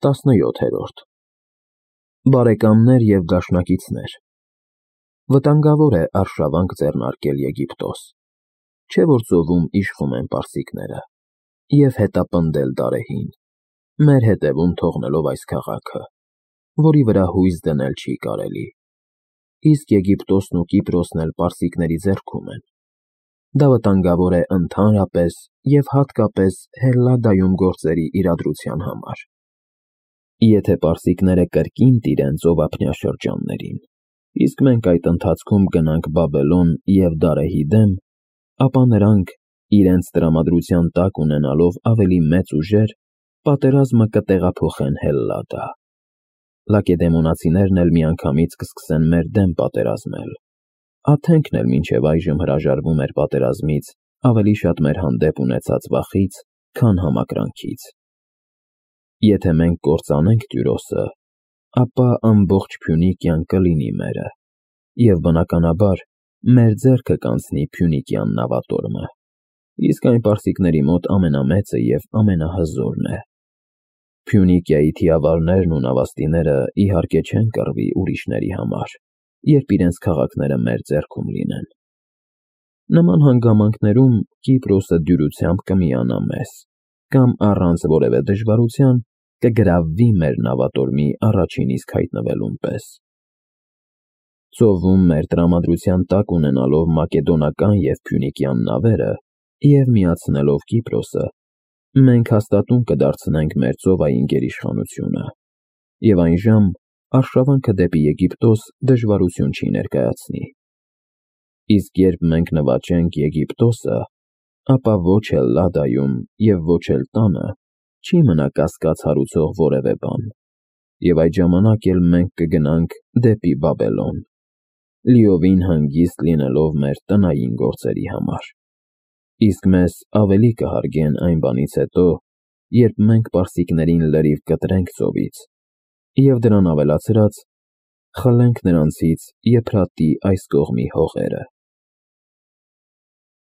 17-րդ Բարեկամներ և դաշնակիցներ, վտանգավոր է արշավանք ձեռնարկել Եգիպտոս, չէ՞ որ ծովում իշխում են պարսիկները, և հետապնդել Դարեհին, մեր հետևում թողնելով այս քաղաքը, որի վրա հույս դնել չի կարելի, իսկ Եգիպտոսն ու Կիպրոսն էլ պարսիկների ձեռքում են։ Դա վտանգավոր է ընդհանրապես և հատկապես Հելլադայում գործերի իրադրության համար։ Եթե պարսիկները կրկին տիրեն ծովափնյա շրջաններին, իսկ մենք այդ ընթացքում գնանք Բաբելոն և Դարեհի դեմ, ապա նրանք, իրենց տրամադրության տակ ունենալով ավելի մեծ ուժեր, պատերազմը կտեղափոխեն Հելլադա։ Լակեդեմոնացիներն էլ միանգամից կսկսեն մեր դեմ պատերազմել։ Աթենքն էլ մինչև այժմ հրաժարվում էր պատերազմից ավելի շատ մեր հանդեպ ունեցած վախից, քան համակրանքից։ Եթե մենք կործանենք Տյուրոսը, ապա ամբողջ Փյունիկիան կլինի մերը, և բնականաբար մեր ձեռքը կանցնի Փյունիկյան նավատորմը, իսկ այն պարսիկների մոտ ամենամեծը և ամենահզորն է։ Փյունիկիայի թիավարներն ու նավաստիները իհարկե չեն կռվի ուրիշների համար, երբ իրենց քաղաքները մեր ձեռքում լինեն։ Նման հանգամանքներում Կիպրոսը դյուրությամբ կմիանա մեզ, կամ առանց որևէ դժվարության կգրավվի մեր նավատորմի առաջին իսկ հայտնվելուն պես։ Ծովում մեր տրամադրության տակ ունենալով մակեդոնական և փյունիկյան նավերը և միացնելով Կիպրոսը, մենք հաստատուն կդարձնենք մեր ծովային գերիշխանությունը, և այն ժամ արշավանքը դեպի Եգիպտոս դժվարություն չի ներկայացնի։ Իսկ երբ մենք նվաճենք Եգիպտոսը, ապա ոչ Հելլադայում և ոչ էլ տանը չի մնա կասկած հարուցող որևէ բան, և այդ ժամանակ էլ մենք կգնանք դեպի Բաբելոն, լիովին հանգիստ լինելով մեր տնային գործերի համար, իսկ մեզ ավելի կհարգեն այն բանից հետո, երբ մենք պարսիկներին լրիվ կտրենք ծովից և դրան ավելացրած՝ խլենք նրանցից Եփրատի այս կողմի հողերը։